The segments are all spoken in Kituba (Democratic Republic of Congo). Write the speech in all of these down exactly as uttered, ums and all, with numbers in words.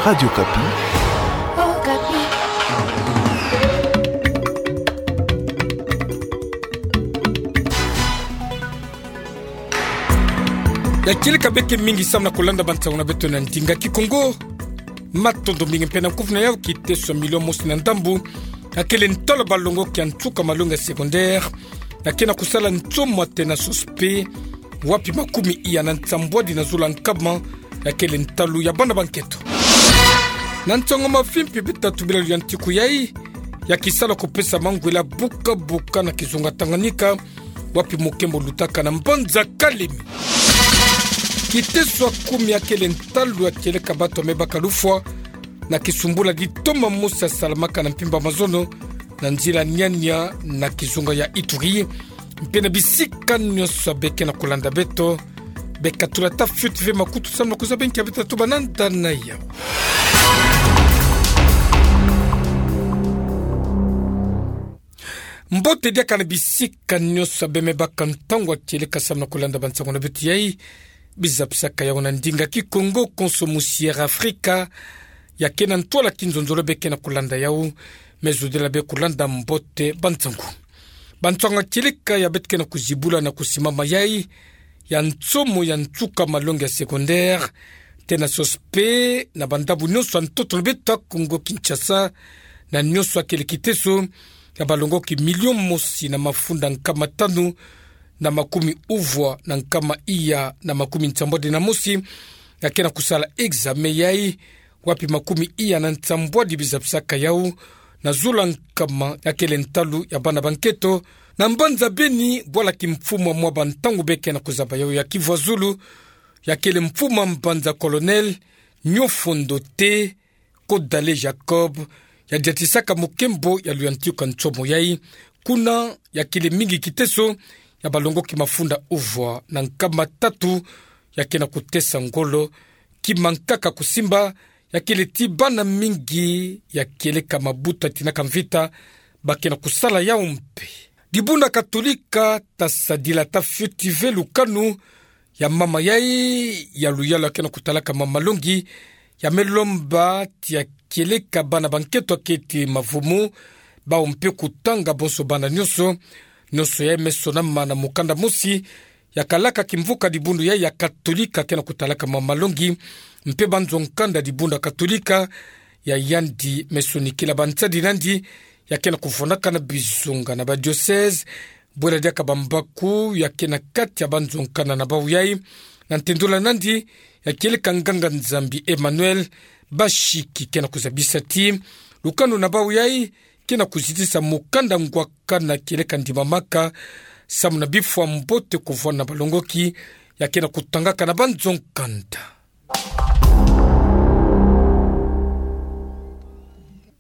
Radio Okapi. Ya kieleka beke mingi samu na kulanda bansango na beto na ndinga Kikongo. Matondo mingi mpe na kuvuna yau. Kiteso ya milio mosi na ndambu ya kele ntalu ya balongoki ya nsuka malongi ya secondaire ya ke na kusala nsomo ya tena sospe, wapi makumi iya na nsambwadi na zulu ya nkama ya kele ntalu ya bana ba nketo. Na nsango mavimpi, bitatu bilalu ya ntiku yai ya kisala kupesa mangwele ya buka buka na kizunga Tanganyika, wapi mokembo lutaka na mbanza Kalemi. Kiteso ya kumi ya kele ntalu ya kieleka bato ya mebaka lufwa na kisumbula ditoma mosi ya salamaka na mpimpa mazono na nzila Niania na kizunga ya Ituri. Mpe na bisika nyonso ya beke na kulanda beto, bekatula ata fioti ve makutu samu na kuzaba nki ya beta tuba na nda na yau. Mbote diaka na bisika nyonso ya bemebaka ntangu ya kieleka samu na kulanda bansango na beto yai. Bizapisaka yau na ndinga Kikongo konso musiere Afrika ya ke na ntwala kinzonzolo beke na kulanda yau. Me zodila be kulanda mbote bansango. Bansango ya kieleka ya beto ke na kuzibula na kusimama yai ya nsomo ya nsuka malongi ya secondaire, tena sospe na bandambu nyonso ya ntoto na beto ya Kongo Kinshasa, na nyonso ya kele kiteso ya balongoki milio mosi na mafunda nkama tanu na makumi uvwa na nkama iya na makumi nsambwadi na mosi ya ke na kusala examen yai, wapi makumi iya na nsambwadi bizapisaka yau na zulu ya nkama ya kele ntalu ya bana ba nketo, na mbanza Beni, bwala kimfumu ya mwa bantangu beke na kuzaba yau ya kivwa zulu, ya kele mfumu ya mbanza Colonel Nyofondo Te Kodale Jacob, ya diatisaka mokembo ya luyantiku ya nsomo yai. Kuna ya kele mingi kiteso ya balongoki mafunda uvwa na nkama tatu ya ke na kutesa ngolo, kima nkaka kusimba, ya kele ti bana mingi ya kieleka mabuta tina ka mvita ba ke na kusala yau mpe. Dibundu ya Katolika, ta sadila ata fioti ve lukanu ya mama yai ya luyalu ya ke na kutalaka mama malongi, ya me lomba ti ya kieleka bana ba nketo ya keti mavumu, bau mpe kutanga bonso bana nyonso. Nyonso yai me sonama na mukanda mosi ya kalaka kimvuka dibundu yai ya Katolika ke na kutalaka mama malongi, mpe banzo-nkanda dibundu ya Katolika ya yandi me sonikila bansadi na yandi ya ke na kuvwanakana bizunga na badiocèse. Bwela diaka bambaku ya ke na kati ya banzo-nkanda na bau yai, na ntendula na yandi ya kieleka nganga-Nzambi Emmanuel Bashiki, ke na kuzabisa ti lukanu na bau yai ke na kuzitisa mukanda ngwakana kieleka ndimamaka samu na bifwa mbote kuvwana na balongoki ya ke na kutangaka na banzo-nkanda.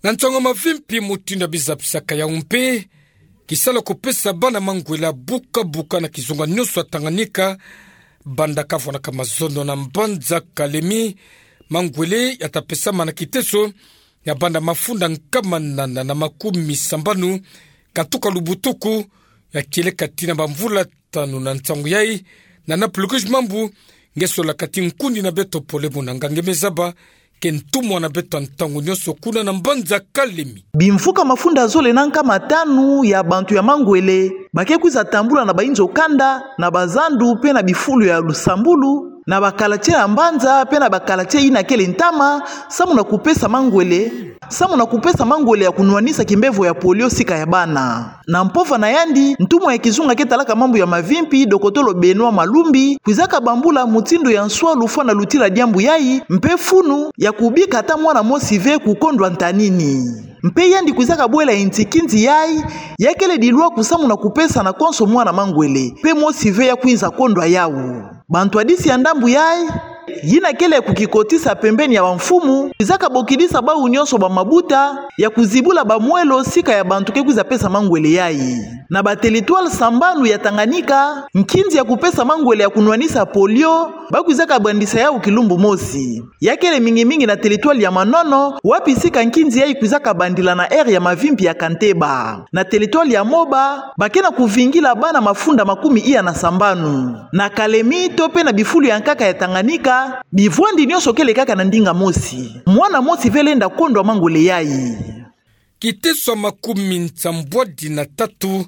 Na nsango mavimpi mutindu ya bizapisaka yau mpe, kisala kupesa bana mangwele ya buka buka na kizunga nyonso ya Tanganyika, banda kavwanaka mazono na mbanza Kalemi, mangwele ya ta pesama na kiteso ya banda mafunda nkama nana na makumi sambanu katuka lubutuku, ya kieleka tina bamvula tanu. Na nsangu yai, Nana Plurish Mambu, nge solaka ti nkundi na beto Pole Munanga nge me zaba, ke ntumwa na beto ya ntangu nyonso kuna na mbanza Kalemi. Bimvuka mafunda zole na nkama tanu ya bantu ya mangwele ba ke kwiza tambula na bainzo-kanda, na bazandu mpe na bifulu ya lusambulu, na ba quartier ya mbanza mpe na ba quartier yina kele ntama, samu na kupesa mangwele, samu na kupesa mangwele ya kunwanisa kimbevo ya polio sika ya bana. Na mpova na yandi, ntumwa ya kizunga ke talaka mambu ya mavimpi, dokotolo Benoît Malumbi, kwizaka bambula mutindu ya nswa lufwa na lutila diambu yai, mpe funu ya kubika ata mwana mosi ve kukondwa ntanini. Mpe yandi kwizaka bwela yinti kinzi yai, ya kele dilwaku samu na kupesa na konso mwana mangwele, mpe mosi ve ya kwinza kondwa yau. Bantwadisi ya ndambu yai, yina kele ya kukikotisa pembeni ya bamfumu, kwizaka bokidisa bau nyonso bamabuta ya kuzibula bamwelo sika ya bantu ke kwiza pesa mangwele yai. Na ba territoire sambanu ya Tanganyika, nkinzi ya kupesa mangwele ya kunwanisa polio, ba kwizaka bandisa yau kilumbu mosi. Ya kele mingi mingi na territoire ya Manono, wapi sika nkinzi yai kwizaka bandila na aire ya mavimpi ya Kanteba. Na territoire ya Moba, ba ke na kuvingila bana mafunda makumi iya na sambanu. Na Kalemi, to mpe na bifulu ya nkaka ya Tanganyika, bivwandi nyonso kele kaka na ndinga mosi. Mwana mosi ve lenda kondwa mangole yai. Kiteso ya makumi nsambwadi na tatu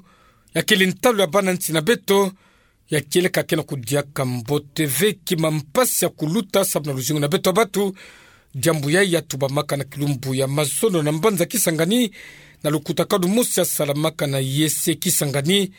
ya kele ntalu ya bana nsi na beto, ya kieleka ke na kudiaka mbote ve ki mampasi ya kuluta sababu na luzingu na beto ya batu. Diambu yai ya tubamaka na kilumbu ya mazono na mbanza Kisangani, na lukutakanu mosi ya salamaka na yese Kisangani,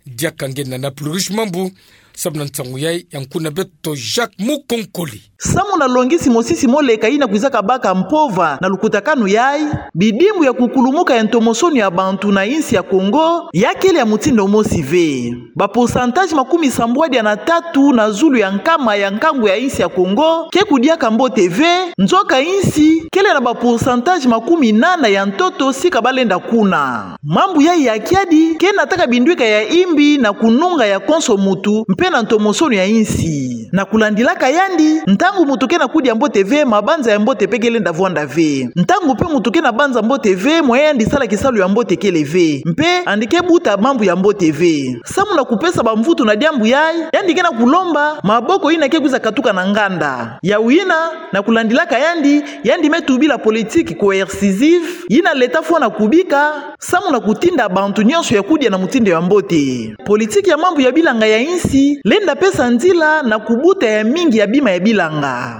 diaka nge na Naples Rouge Mambu, sababu na nsangu yai ya nkuna beto Jacques Mukonkoli. Samu na longisi mosisi moleka yina kwizaka baka mpova na lukutakanu yai, bidimbu ya kukulumuka ya ntomosono ya bantu na insi ya Kongo ya kele ya mutindu mosi ve. Ba pourcentage makumi sambwadi na tatu na zulu ya nkama ya nkangu ya insi ya Kongo ke kudiaka mbote ve, nzoka insi kele na ba pourcentage makumi nana ya ntoto sika balenda kuna. Mambu yai ya kiadi ke nataka bindwika ya imbi na kununga ya konso mutu mpe na ntomosono ya insi. Na kulandilaka yandi, ntangu mutu ke na kudia mbote ve, mabanza ya mbote mpe ke lenda vwanda ve. Ntangu mpe mutu ke na banza mbote ve, moyen ya yandi sala kisalu ya mbote kele ve. Mpe yandi ke buta mambu ya mbote ve. Samu na kupesa bamvutu na diambu yai, yandi ke na kulomba maboko yina ke kwiza katuka na nganda. Yawu yina, na kulandilaka yandi, yandi me tubila politique coercitive yina leta fwana kubika, samu na kutinda bantu nyonso ya kudia na mutindu ya mbote. Politique ya mambu ya bilanga ya insi lenda pesa nzila na kubuta ya mingi ya bima ya bilanga.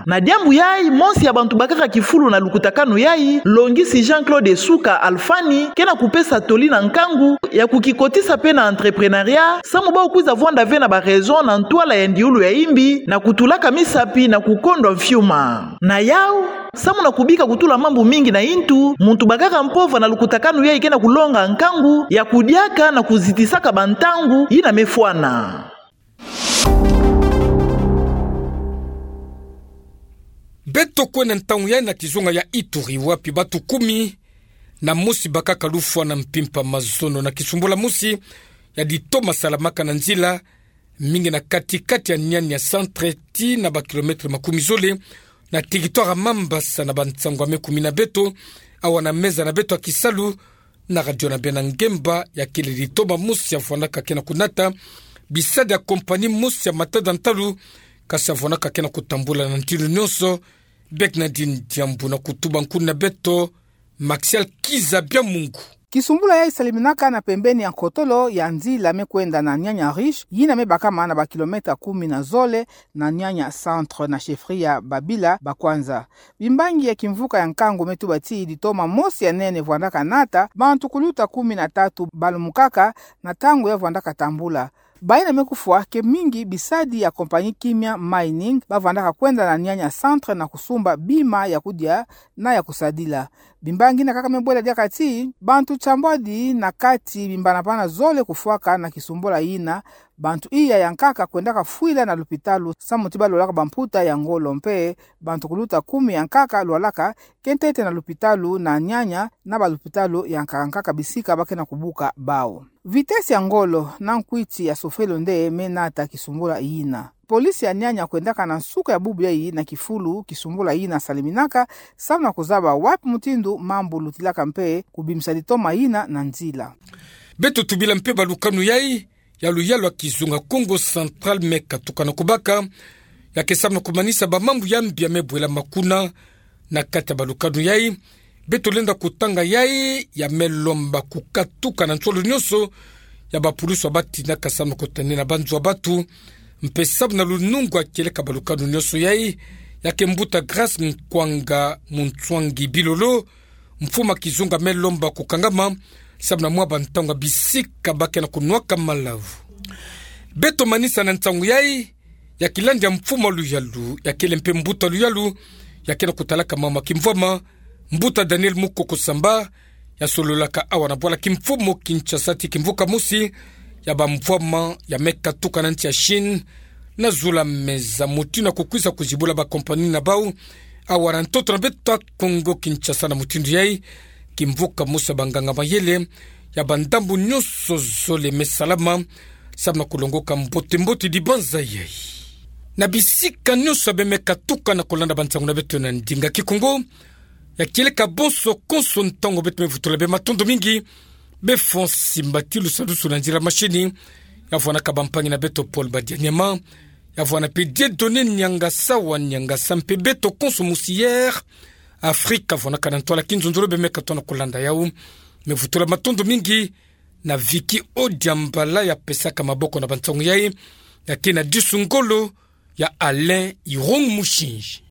Na diambu yai, mosi ya bantu bakaka kifulu na lukutakanu yai, longisi Jean-Claude Suka Alfani, ke na kupesa toli na nkangu ya kukikotisa mpe na entrepreneuriat, samu bau kwiza vwanda ve na ba réseau na ntwala ya ndiulu ya imbi, na kutulaka misapi na kukondwa mfiuma. Na yawu, samu na kubika kutula mambu mingi na intu, muntu bakaka mpova na lukutakanu yai ke na kulonga nkangu ya kudiaka na kuzitisaka bantangu yina me fwana. Beto kwenda ntangu yai na kizunga ya Ituri, wapi batu kumi na mosi bakaka lufwa na mpimpa mazono na kisumbula mosi ya ditoma salamaka na nzila, mingi na kati-kati ya Niania centre tii na ba kilomètre makumi zole, na territoire ya Mambasa, na bansangu ya me kumina beto awa na meza na beto ya kisalu na radio na beno ya ngemba. Ya kele ditoma mosi ya vwandaka ke na kunata bisadi ya compagnie mosi ya matada ntalu, kasi ya vwandaka ke na kutambula na ntilu nyonso. Bernardine Diambu na kutuba nkuna beto Maxial Kiza Biamungu. Kisumbula yai saliminaka na pembeni ya nkotolo ya nzila me kwenda na Niania Riche, yina me bakama na ba kilomètre kumi na zole na Niania centre na chefferie ya Babila Bakwanza. Bimbangi ya kimvuka ya nkangu me tuba ti ditoma mosi ya nene vwandaka nata, bantu kuluta kumi na tatu balumukaka na ntangu ya vwandaka tambula. Bayina me kufwa ke mingi bisadi ya compagnie Kimia Mining, ba vwandaka kwenda na Niania centre na kusumba bima ya kudia na ya kusadila. Bimbangi yina kaka me bwela diaka ti bantu nsambwadi na kati bimbanabana zole kufwaka na kisumbula yina. Bantu iya ya nkaka kwendaka fwila na lupitalu samu ti balwalaka bamputa ya ngolo, mpe bantu kuluta kumi ya nkaka lwalaka ke ntete na lupitalu na Niania na balupitalu ya nkaka nkaka bisika ba ke na kubuka bau. Vitesse ya ngolo na nkwiti ya sofelo nde me nata kisumbula yina. Police ya Niania kwendaka na nsuka ya bubu yai na kifulu kisumbula yina saliminaka, samu na kuzaba wapi mutindu mambu lutilaka mpe kubimisa ditoma yina na nzila. Beto tubila mpe balukanu yai ya luyalu ya kizunga Kongo Central me katuka na kubaka, ya ke samu na kumanisa bamambu ya mbi ya me bwelama kuna na kati ya balukanu yai. Beto lenda kutanga yai ya me lomba kukatuka na nsolo nyonso ya bapulusu ya batinaka samu na kutane na banzo ya batu, mpe samu na lunungu ya kieleka balukanu nyonso yai. Ya ke mbuta Grâce Nkwanga Munswangi Bilolo, mfumu ya kizunga, me lomba kukangama samu na mwa bantangu ya bisika ba ke na kunwaka malavu. Beto manisa na nsangu yai ya kilandi ya mfumu ya luyalu, ya kele mpe mbuta luyalu ya ke na kutalaka mambu ya kimvwama, mbuta Daniel Mukoko Samba, ya sololaka awa na bwala kimfumu Kinshasa ti kimvuka mosi ya bamvwama ya me katuka na nsi ya Chine, na zula meza mutindu ya kukwiza kuzibula bacompagnie na bau awa na ntoto na beto ya Kongo Kinshasa. Na mutindu yai, kimvuka mosi ya banganga mayele ya bandambu nyonso zole me salama samu na kulongoka mbote-mbote dibanza yai na bisika nyonso ya be me katuka na kulanda bansangu na beto na ndinga Kikongo. Ya kieleka bonso konso ntangu beto me vutula be matondo mingi. Be fwa nsimbati lusadusu na nzila mashini ya vwanaka bampangi na beto Paul Badianyama, ya vwana pe Dieudonné Niangasa wa Niangasa Mpebe, toko nso mosier Afrika, vwana kana ntwala ki nzonzolo bê me ka tona kolanda yau. Me vutula matondo mingi na Vicky Odiambala ya pesaka maboko na bansangu yai, ya kena disu ngolo ya Alain Irung Musinji.